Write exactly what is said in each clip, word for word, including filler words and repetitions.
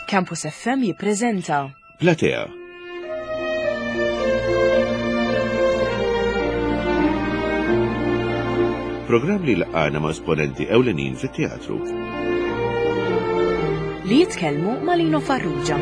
Campus F M jippreżenta Platea. Programm li jlaqqagħna ma' esponenti ewlenin fit-teatru. Li jitkellmu ma' Lino Farrugia.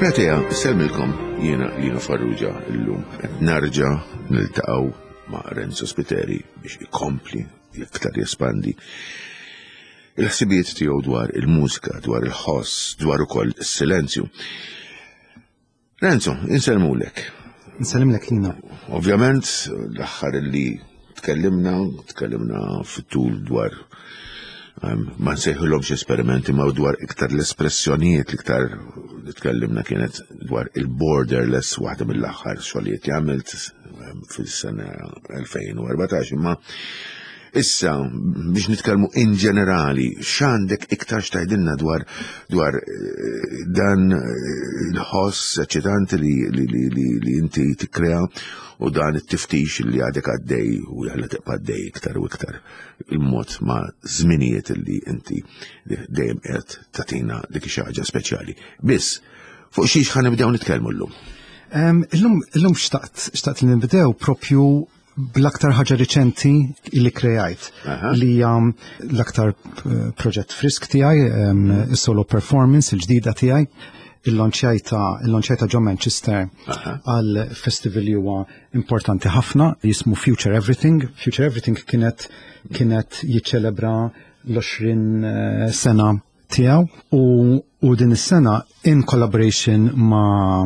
Platea, insellmilkom, jiena Lino Farrugia. Illum nerġa' niltaqgħu ma' Renzo Spiteri biex ikompli iktar jespandi il-ħsibijiet tiegħu dwar il-mużika, dwar il-ħoss, dwar ukoll is-silenzju. Renzo, insellmulek. Nsellimlek, Lino. Ovvjament, l-aħħar li tkellimna, tkellimna fit-tul dwar um, ma nsejħulhomx esperimenti, ma dwar iktar l-espressjonijiet. L-iktar li tkellimna kienet dwar il-Borderless, waħda mill-aħħar xogħlijiet li għamilt um, fis-sena elfejn u erbatax, imma issa biex nitkellmu in ġenerali, x'għandek iktar x'tgħidilna dwar dwar eh, dan eh, il-ħoss eċitanti li, li, li, li, li inti tikkrea u dan it-tiftix li għadek għaddej u jalla tibqa' għaddej iktar u iktar il-mod ma' żminijiet li inti dejjem qed tagħtina dik xi ħaġa speċjali. Biss, fuq xiex ħa nibdew nitkellmu llum? Um, illum, illum xtaqt, xtaqt li nibdew propju bl-aktar ħaġa riċenti li kreajt, Aha. li hija l-aktar eh, proġett frisk tiegħi, um, is-solo performance il-ġdida tiegħi, il-launchjajta il-launchjajta ġo Manchester Aha. għal festival li huwa importanti ħafna jismu Future Everything. Future Everything kienet kienet jiċċelebra l-għoxrin eh, sena tiegħu u, u din is-sena, in collaboration ma'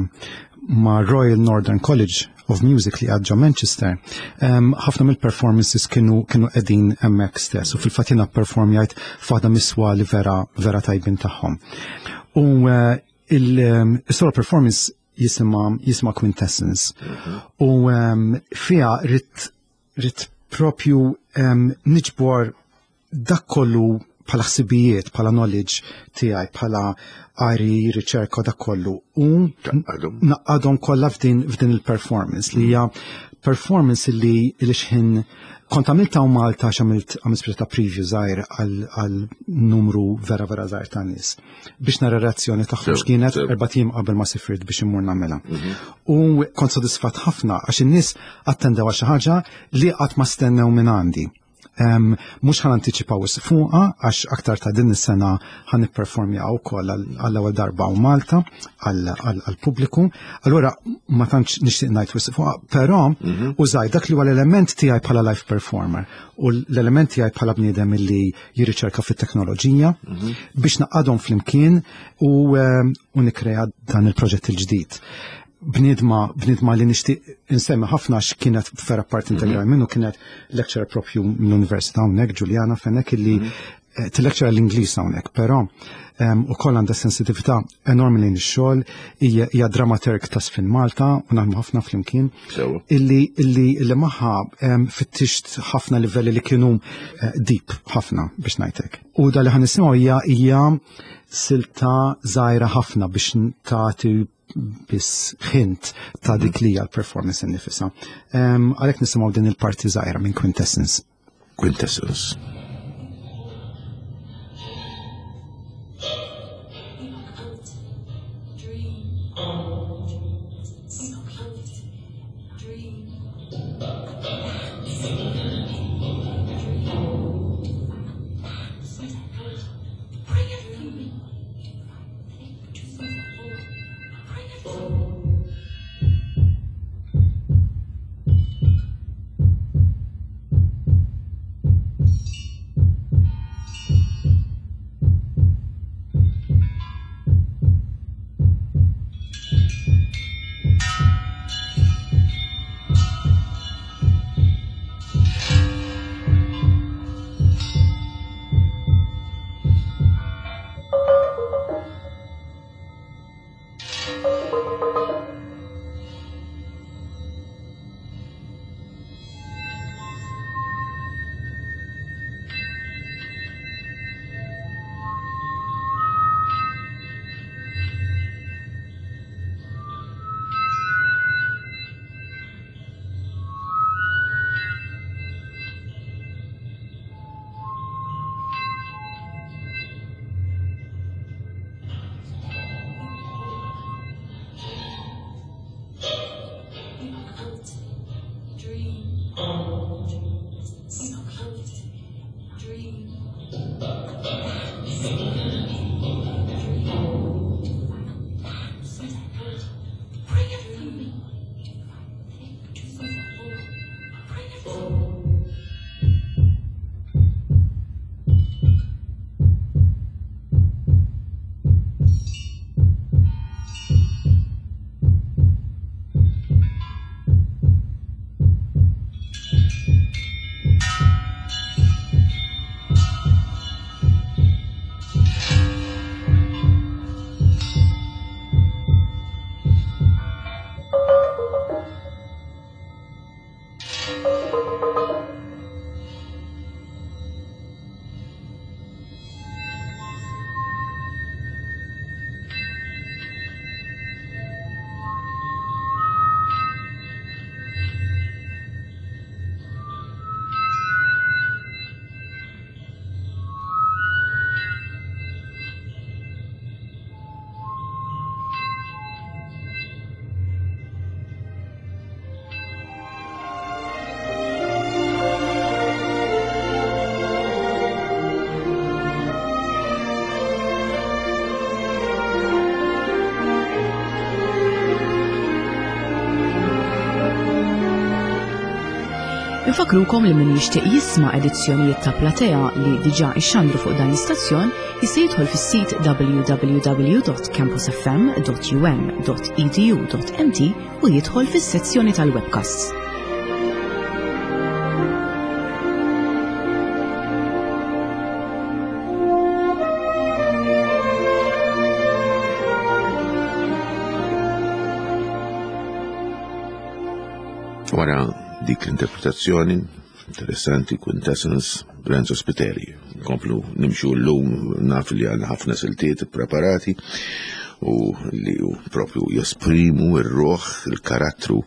ma' Royal Northern College of Music li ġo Manchester, um, ħafna mill-performances kienu kienu qegħdin hemmhekk stess u fil-fatt jiena performjajt f'waħda mis-swali vera vera tajbin tagħhom. U uh, il-solo performance jisimha jisimha Quintessence. U um, fiha ridt ridt propju um, niġbor dak kollu bħala ħsibijiet, bħala knowledge tiegħi, bħala qari, riċerka, dak kollu. U Tgħaqqadhom. ngħaqqadhom kollha f'din f'din il-performance li hija performance li li xħin kont għamilta u Malta, għamilt għamilt speċi ta' preview żgħir għal għal numru vera vera żgħir ta' nies biex nara reazzjoni tagħhom Sew, x'kienet sew. erbat ijiem qabel ma sifirt biex immur nagħmilha. U kont sodisfatt ħafna għax in-nies attendew għal xi ħaġa li qatt ma stennew minn għandi. Um, mhux ħa nantiċipaw fuqha għax aktar ta' din is-sena ħa nipperformja wkoll għall-ewwel darba u Malta għall-pubbliku. Allura ma tantx nixtieq ngħid wisq fuqha, però użaj dak li huwa l-element tiegħi bħala live performer u l-element tiegħi bħala bniedem li jirriċerka fit-teknoloġija biex ngħaqqadhom flimkien u, um, u nikrea dan il-proġett il-ġdid. Bniedma bniedma li nixtieq insemmi ħafna għax kienet vera part integrali minnu kienet lecturer propju mill-Università hawnhekk, Juliana Fenech, illi eh, tillectura l-Ingliż hawnhekk, però um, ukoll għandha sensitività enormi lejn ix-xogħol, hija hija dramaturg ta' Sfin Malta u naħdmu ħafna flimkien Sewa. illi illi illi magħha um, fittixt ħafna livelli li kienu uh, deep ħafna, biex ngħidlek. U da li ħa nisimgħu hija hija silta żgħira ħafna biex tagħti biss hint ta' dik li hija l-performance innifisha. Um, Għalhekk nisimgħu din il-parti żgħira minn Quintessence. Quintessence. Thank Infakrukom li min jixtieq jisma' edizzjonijiet ta' Platea li diġà ixxandru fuq dan l-istazzjon jista' jidħol fis-sit w w w dot campus f m dot u m dot e d u dot m t u jidħol fis-sezzjoni tal-webcasts. Wara dik l-interpretazzjoni interessanti, Quintessence, Renzo Spiteri. Nkomplu nimxu llum, naf li għandna ħafna siltiet preparati u li u propju jesprimu r-ruħ, il-karattru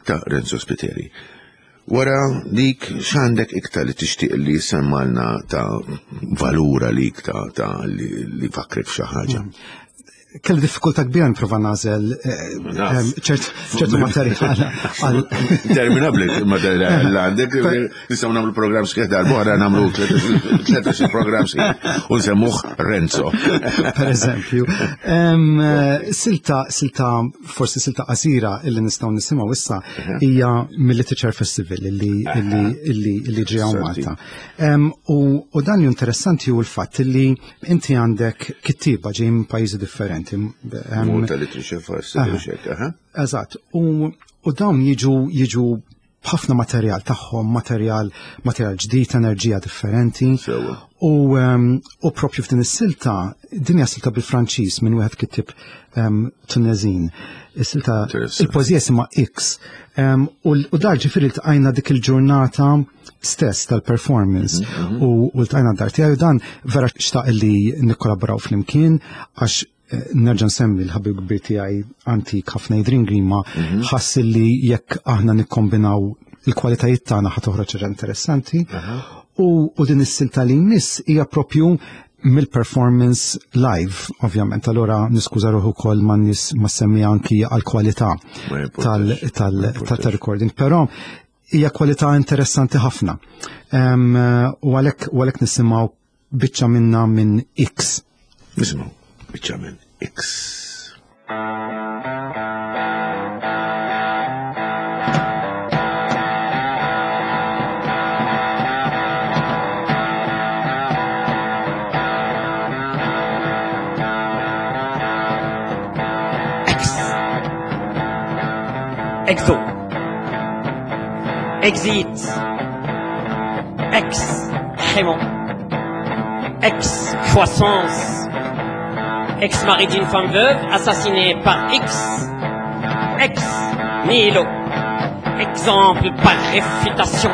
ta' Renzo Spiteri. Wara dik x'għandek iktar li tixtieq li semmalna ta' valura lik ta', ta' li, li fakrek f'xi ħaġa? Mm. Kelli diffikultà kbira nipprova nagħżel, eh, Naf. eh, ċert, ċertu materjal għal Interminabbli materjal li għandek, nistgħu nagħmlu programm sħiħ darb'oħra, nagħmlu tlettax-il programm sħiħ u nsemmuh Renzo. Per eżempju. Em, eh, silta, silta, forsi silta qasira illi nistgħu nisimgħu issa hija mill-Literature Festival illi, illi, illi, illi ġie hawn Interessanti. Malta. Em, u, u dan li interessanti hu l-fatt illi inti għandek kittieba ġej minn pajjiżi differenti. Em, Malta Literature Festival, xek, aha. Eżatt, u, u dawn jiġu, jiġu b'ħafna materjal tagħhom, materjal, materjal ġdid, enerġija differenti. Sewa. U, em, u propju f'din is-silta, din hija silta bil-Franċiż minn wieħed kittieb, em, Tunezin. Is-silta, Interessanti. il-poeżija jisimha X. Em, u l-, u dar ġifieri ltqajna dik il-ġurnata stess tal-performance Mhm, mhm. u, u ltqajna d-dar tiegħi u dan vera xtaq li nikkollaboraw flimkien għax nerġa' nsemmi l-ħabib kbir tiegħi antik ħafna Adrian Grima, Mhm. ħass li jekk aħna nikkombinaw il-kwalitajiet tagħna ħa toħroġ ħaġa interessanti. Aha. U, u din is-silta li jmiss hija propju mill-performance live, ovvjament. Allora niskuża ruħu wkoll ma' nies ma semmi anki għall-kwalità Ma jimportax. tal-, tal-, Ma jimportax. tal-recording, però hija kwalità interessanti ħafna. Em, u għalhekk, u għalhekk nisimgħu biċċa minna minn X. Nisimgħu biċċa minn X. X. Exo. Exit. Ex. Crément. Ex. Croissance. Ex-mari d'une femme veuve, assassinée par X. Ex nihilo. Exemple par réfutation.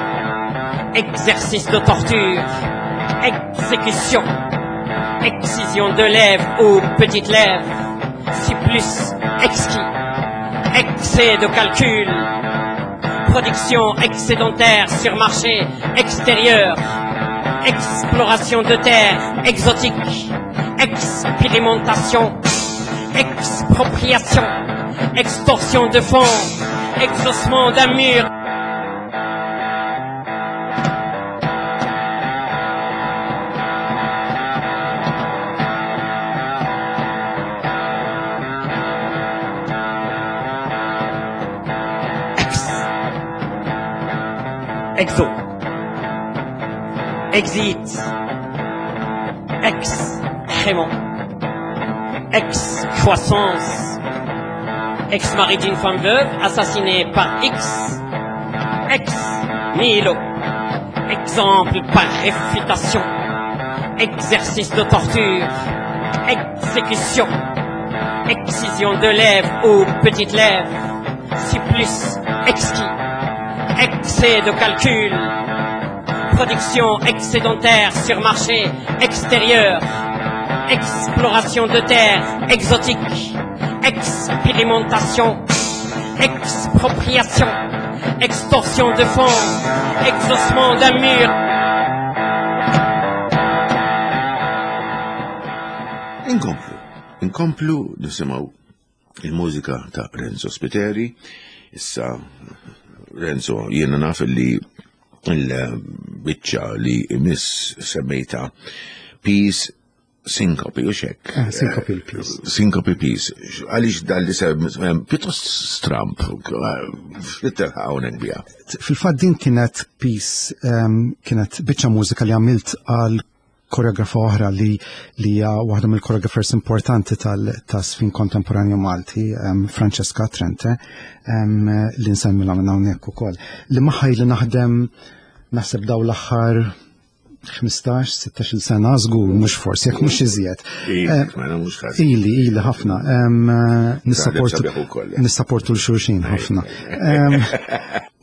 Exercice de torture. Exécution. Excision de lèvres ou petites lèvres. Supplice exquis. Excès de calcul. Production excédentaire sur marché extérieur. Exploration de terres exotiques. Expérimentation. Expropriation. Extorsion de fonds. Exaucement d'un mur. Ex. Exo. Exit. Ex-crément. Ex-croissance. Ex-mari d'une femme veuve, assassinée par X. Ex nihilo. Exemple par réfutation. Exercice de torture. Exécution. Excision de lèvres ou petites lèvres. Supplice exquis. Excès de calcul. Production excédentaire sur marché extérieur. Exploration de terres exotiques. Expérimentation. Expropriation. Extorsion de fonds. Exaucement d'un mur. Inkomplu. Inkomplu nisimgħu il-mużika ta' Renzo Spiteri. Issa, Renzo, jiena naf li il-biċċa li miss semmejta Peace Syncope, u xek. Eh, Syncope il-Peace. Syncope Peace. Għaliex dal li sem, pjuttost stramp, x'litterħa hawnhekk biha. Fil-fatt din kienet piece, um, kienet biċċa mużika li għamilt għal koreografa oħra li li hija waħda mill-choreographers importanti tal-żfin kontemporanju Malti, um, Francesca Trente, um, li nsemmilha minn hawnhekk ukoll. Li magħha li naħdem naħseb daw l-aħħar ħmistax, sittax-il sena, żgur, mhux forsi, jekk mhux iżjed. Ili, mela mhux ħażin. Ili, ili ħafna. Em, Nissaportu sabiħ ukoll. nissaportu l-xulxin ħafna. Em,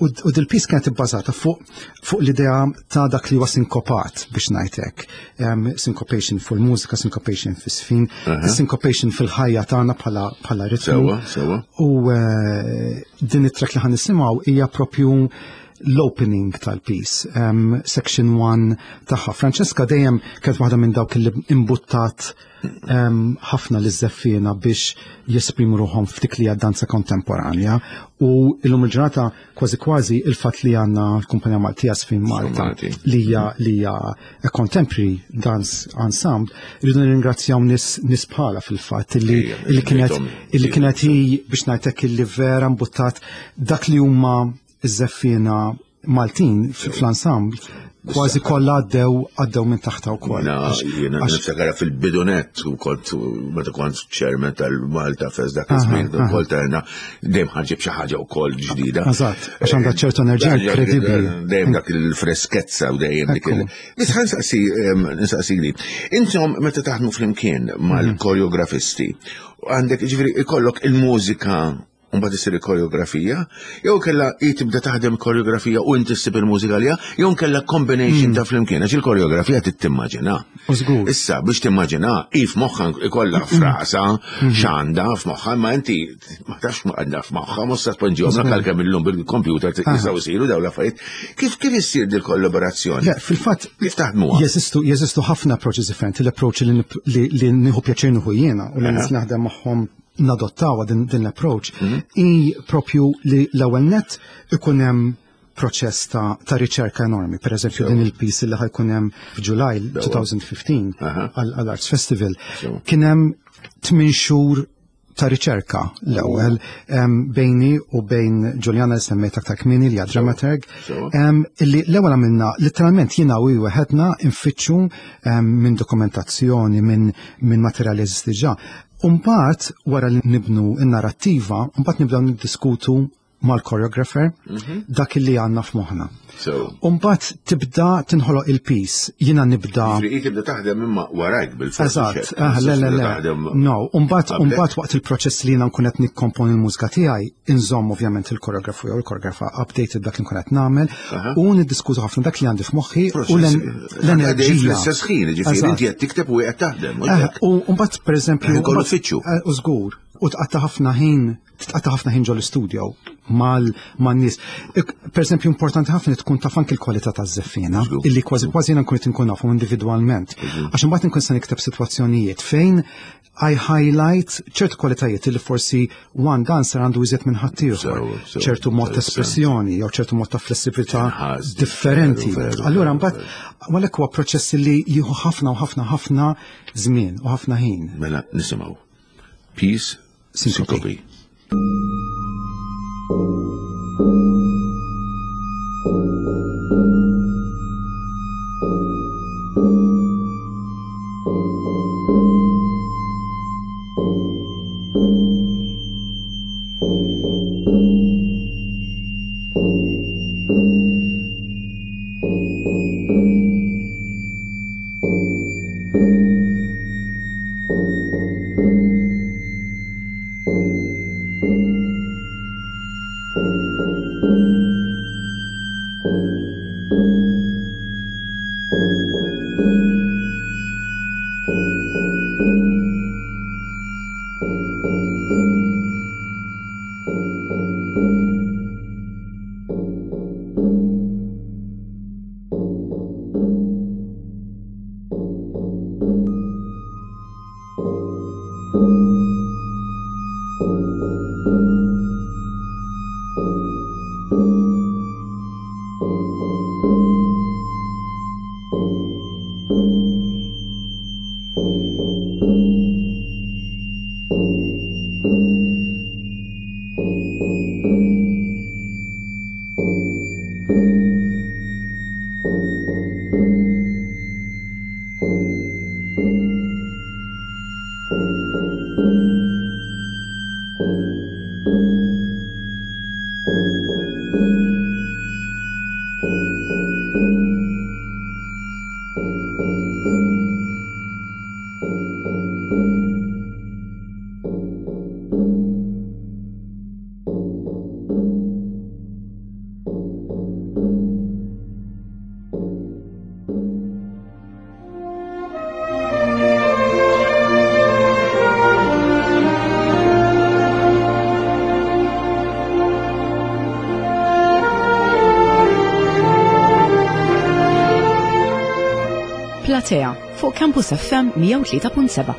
U u dil-piece kienet ibbażata fuq fuq l-idea ta' dak li huwa sinkopat biex ngħidlek. Em, Syncopation fuq il-mużika, syncopation fis-sfin, syncopation fil-ħajja tagħna bħala bħala ritmu. Sewwa, sewwa. U eh, din it-track li ħa nisimgħu hija propju l-opening tal-piece, um, section one tagħha. Francesca dejjem kienet waħda minn dawk li imbuttat um, ħafna li żeffiena biex jesprimu ruħhom f'dik li hija danza kontemporanja, u illum il-ġurnata kważi kważi il-fatt li għandna l-Kumpanija Maltija Żfin Malta Malti. li hija li hija a contemporary dance ensemble, rridu nirringrazzjaw nies nies bħala fil-fatt illi Ija, illi kienet bejthom. illi kienet hi biex ngħidlek illi vera mbuttat dak li huma iż-żeffiena Maltin fl-ensemble kważi kollha għaddew għaddew minn taħta wkoll. Na, Għax- jiena għax- niftakara fil-bidunet, u kont, meta kont chairman tal-Malta Fest dak iż-żmien, ukoll tajna dejjem ħarġib xi ħaġa wkoll ġdida. Eżatt, għax għandha ċertu enerġija inkredibbli. Dejjem dak il-freskezza u dejjem dik il. Ekku. Biss ħa nsaqsi em, nsaqsi li. Intom meta taħdmu flimkien mal-koreografisti, għandek ġifieri ikollok il-mużika u mbagħad isir il-koreografija, jew kella hi tibda taħdem koreografija u inti ssib il-mużika għaliha, jew kella combination ta' flimkien, għax il-koreografija tittimmaġina. U żgur. Issa biex timmaġina, hi f'moħħha ikollha frasa, x'għandha f'moħħha, ma inti ma tafx ma għandha f'moħħha, mhux se tpoġġihom għalkemm illum bil-computer jistgħu jsiru dawn l-affarijiet. Kif kif issir dil kollaborazzjoni? Le, fil-fatt Kif taħdmuha? Jeżistu jeżistu ħafna approaches differenti. L-approach li, nip- li, li nieħu pjaċir nieħu jiena u li nies naħdem magħhom nadottawa din, din l-approach i propju li l-ewwel net ikun hemm proċess ta', ta' riċerka enormi. Per eżempju, din il-piece li ħa jkun hemm f'July elfejn u ħmistax Aha. għall-Arts Festival. Sewa. Kien hemm tmien xhur ta' riċerka l-ewwel em, bejni u bejn Juliana li semmejt aktar kmieni li hija dramaturg. Sewa. Em, illi l-ewwel għamilna literalment jiena u hi weħedna nfittxu em, minn dokumentazzjoni, minn min materjali jeżisti ġa. Umbagħad wara li nibnu n-narrattiva, mbagħad nibdew niddiskutu mal-choreographer dak li għandna f'moħħna. So, U mbagħad tibda tinħoloq il-piece, jiena nibda. Ġifieri tibda taħdem imma warajk bil-forsi. Eżatt, ah, le, le, le. No, u mbagħad Qabel. u mbagħad waqt il-proċess li jiena nkun qed nikkomponi l-mużika tiegħi, inżomm ovvjament il-koreografu jew il-koreografa updated dak li nkun qed nagħmel u niddiskutu ħafna dak li għandi f'moħħi u l- l-enerġija. Fl-istess ħin, ġifieri Eżatt. inti qed tikteb u qed taħdem. mhux Eh, hekk? U mbagħad pereżempju Ħin kollu mbagħad- tfittxu. eh, U żgur, u tqatta' ħafna ħin, tqatta' ħafna ħin ġol-istudio mal man-nies. Ik- Pereżempju importanti ħafna li tkun taf anki l-kwalità taż-żeffiena, Żgur. illi kważi kważi jiena nkun qed inkun nafhom individwalment. Għax imbagħad inkun se nikteb sitwazzjonijiet fejn I highlight ċertu kwalitajiet li forsi one dancer għandu iżjed minn ħaddieħor. Sew, sew, ċertu mod ta' interessanti. espressjoni jew ċertu mod ta' flessibilità Tinħass, differenti. veru, veru, Allura veru, mbagħad għalhekk huwa proċess li jieħu ħafna u ħafna ħafna żmien u ħafna ħin. Mela nisimgħu. Peace, Syncope. Syncope. Platea fuq Campus F M mija u tlieta punt seba'.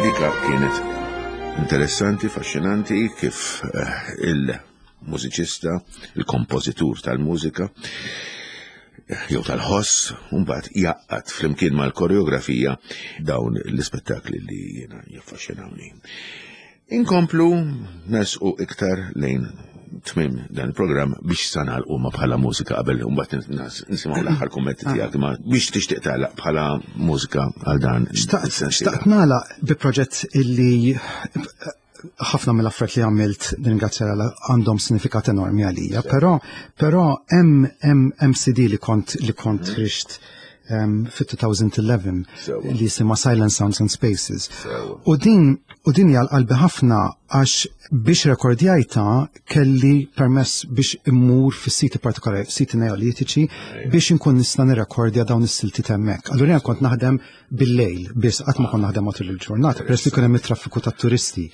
Dika kienet interessanti, faxxinanti kif eh, il-mużiċista, il-kompożitur tal-mużika, jew tal-ħoss, mbagħad jaqgħad flimkien mal-koreografija dawn l-ispettakli li jiena jaffaxxinawni. Inkomplu nesqu iktar lejn tmim dan il-programm biex sa nagħlqu ma bħala mużika qabel mbagħad nisimgħu l-aħħar kummenti tiegħek, ma biex tixtieq tagħlaq bħala mużika għal dan Xtaqt is-sensiela. xtaqt nagħlaq bi proġett illi ħafna mill-affarijiet li għamilt, ringrazzja Alla, għandhom sinifikat enormi għalija, però però hemm hemm hemm C D li kont li kont ħriġt um, fit-elfejn u ħdax Sewa. li jisimha Silent Sounds and Spaces. Sewa. U din u din hija qalbi ħafna għax biex rekordjajta kelli permess biex immur fis-siti partikolari, siti neolitiċi, biex inkun nista' nirrekordja dawn is-silti hemmhekk. Allura jien kont naħdem bil-lejl, biss qatt ma kont naħdem matul il-ġurnata, peress li kien hemm it-traffiku tat-turisti.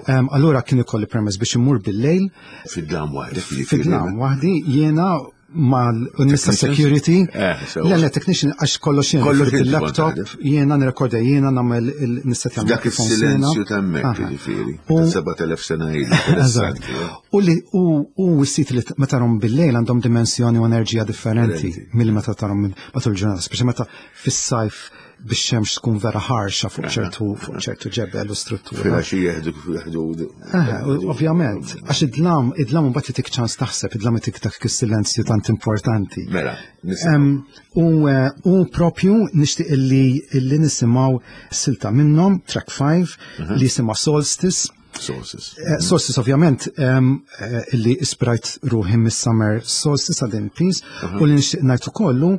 Em, Allura kien ikolli permess biex immur bil-lejl Fid-dlam waħdek, jiġifieri. Fid-dlam waħdi, jiena mal-nista Technicians? security. Eh, so- Le, le, technician, għax kollox jiena. Kollox fil- inti kont laptop taħdem. Jiena nirrekordja, jiena nagħmel il-nissetja Dak il-silenzju ta' hemmhekk, jiġifieri. Ta' sebat elef sena ilu. Eżatt. Interessanti, eh? U li u u s-sit li meta tarhom bil-lejl għandhom dimensjoni u enerġija differenti Differenti. milli meta tarhom matul il-ġurnata, speċi meta fis-sajf biex xemx tkun vera ħarxa fuq ċertu fuq ċertu ġebel u struttura. Filgħaxija jeħdu jeħdu. Eh, u- ovvjament, għax id-dlam, id-dlam mbagħad itik ċans taħseb, id-dlam itik dak is-silenzju tant importanti. Mela, nisimgħu. Em, U eh, u propju nixtieq illi illi nisimgħu silta minnhom, track five, li jisimha Solstice. Sources. Eh, Solstice ovvjament em, eh, illi ispirajt ruħi mis-Summer Solstice għal din piece u li nixtieq ngħid ukollu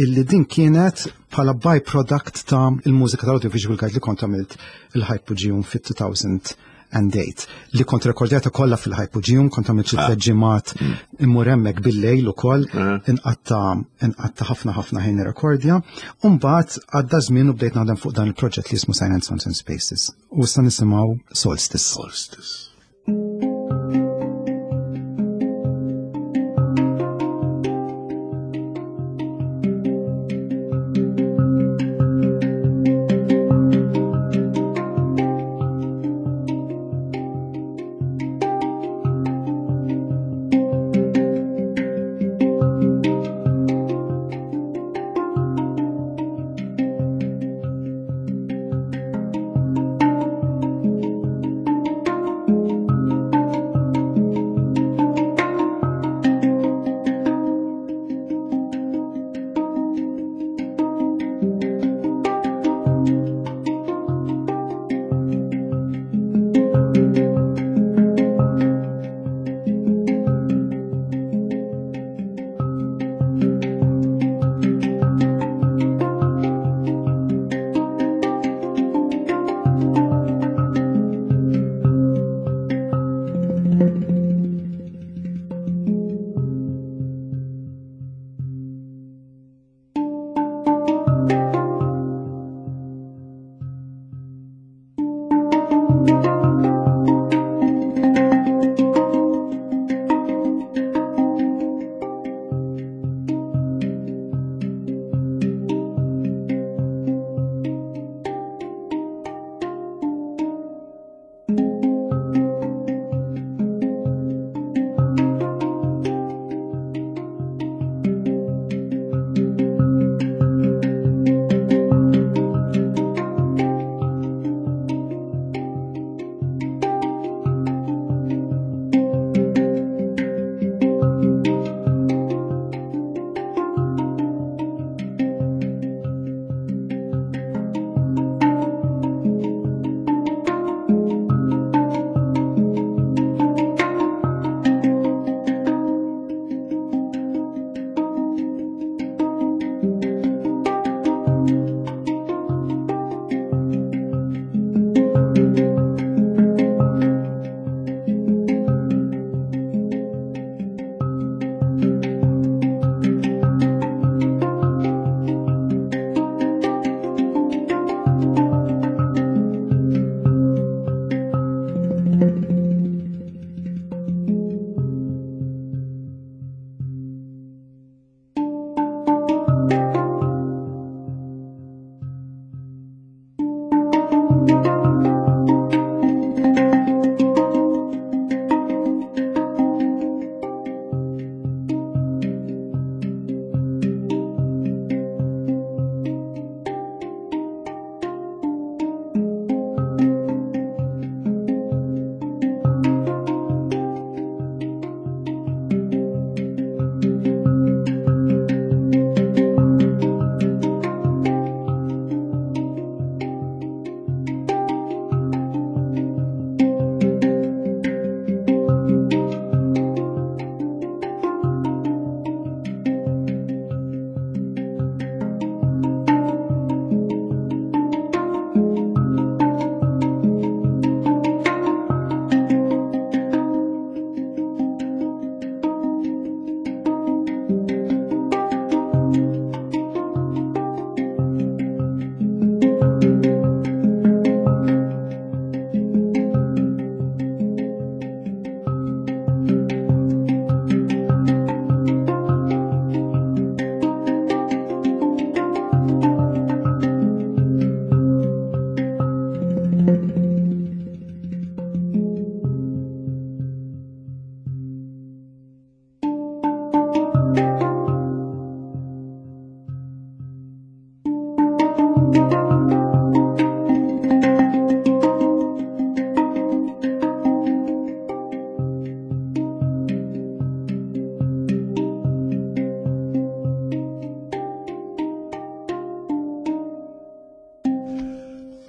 illi din kienet bħala byproduct ta' il-mużika tal-audiovisual guide li kont għamilt il-Hypogeum fit-two thousand and eight li kont rekordjata kollha fil-Hypogeum, kont għamilt xi tliet ġimgħat immur hemmhekk bil-lejl ukoll, inqatta inqatta ħafna ħafna ħin nirrekordja, u mbagħad għadda żmien u bdejt naħdem fuq dan il-proġett li jismu Silent Sounds and Spaces. U issa nisimgħu Solstice. Solstice.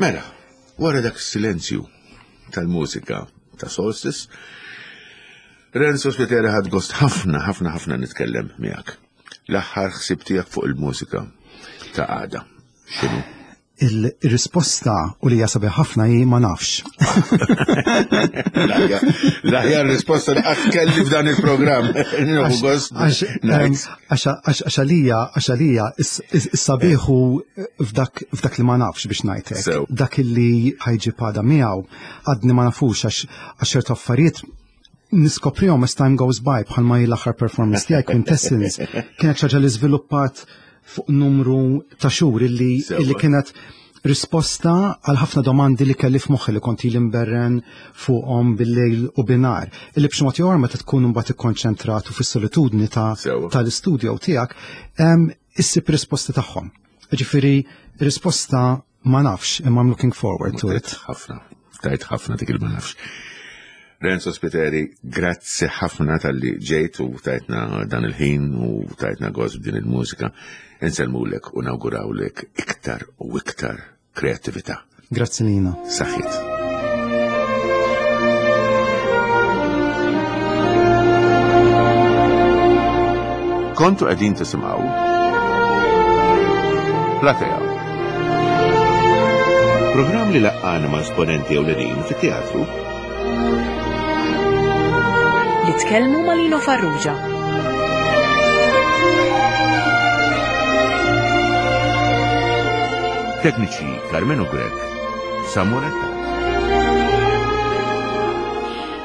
Mela, wara dak silenzju tal-mużika ta' Solstice, Renzo Spiteri, ħadt gost ħafna, ħafna, ħafna nitkellem miegħek. L-aħħar ħsib tiegħek fuq il-mużika ta' għada. X'inhu? Il-risposta u li jasabi ħafna hi ma nafx. L-aħjar risposta li qatt kelli f'dan il-programm. Nieħu gost. Għax għalija, għax għalija, is-sabiħ hu f'dak f'dak li ma nafx, biex ngħidlek. Sew. Dak li ħa jġib għada miegħu għadni ma nafux, għax għax ċertu affarijiet niskoprihom as time goes by, bħalma hi l-aħħar performance tiegħi, Quintessence, kienet xi ħaġa li żviluppat fuq numru ta' xhur illi Sewa. illi kienet risposta għal ħafna domandi li kelli f'moħħi li kont ili nberren fuqhom bil-lejl u bin-nhar. Illi b'xi mod jew ieħor, meta tkun mbagħad ikkonċentrat u fis-solitudni ta' Sewa. tal-istudio tiegħek, em, issib risposta tagħhom. Ġifieri risposta ma nafx, imma I'm looking forward to it. Tajt ħafna, tajt ħafna dik il-ma nafx. Renzo Spiteri, grazzi ħafna talli ġejt u tajtna dan il-ħin u tajtna gost b'din il-mużika. Insellmulek u nawgurawlek iktar u iktar kreatività. Grazzi Lina. Saħħit. Kontu qegħdin tisimgħu Platea. Programm li laqqana ma' esponenti ewlenin fit-teatru Li tkellmu ma' Lino Farrugia. Tekniċi Carmenu Grech, Samuel Attard.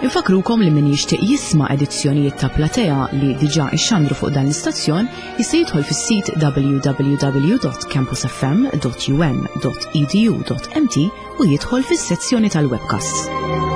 Infakrukom li min jixtieq jisma' edizzjonijiet ta' Platea li diġà ixxandru fuq dan l-istazzjon jista' jidħol fis-sit w w w dot campusfm dot u m dot e d u dot m t u jidħol fis-sezzjoni tal-webcasts.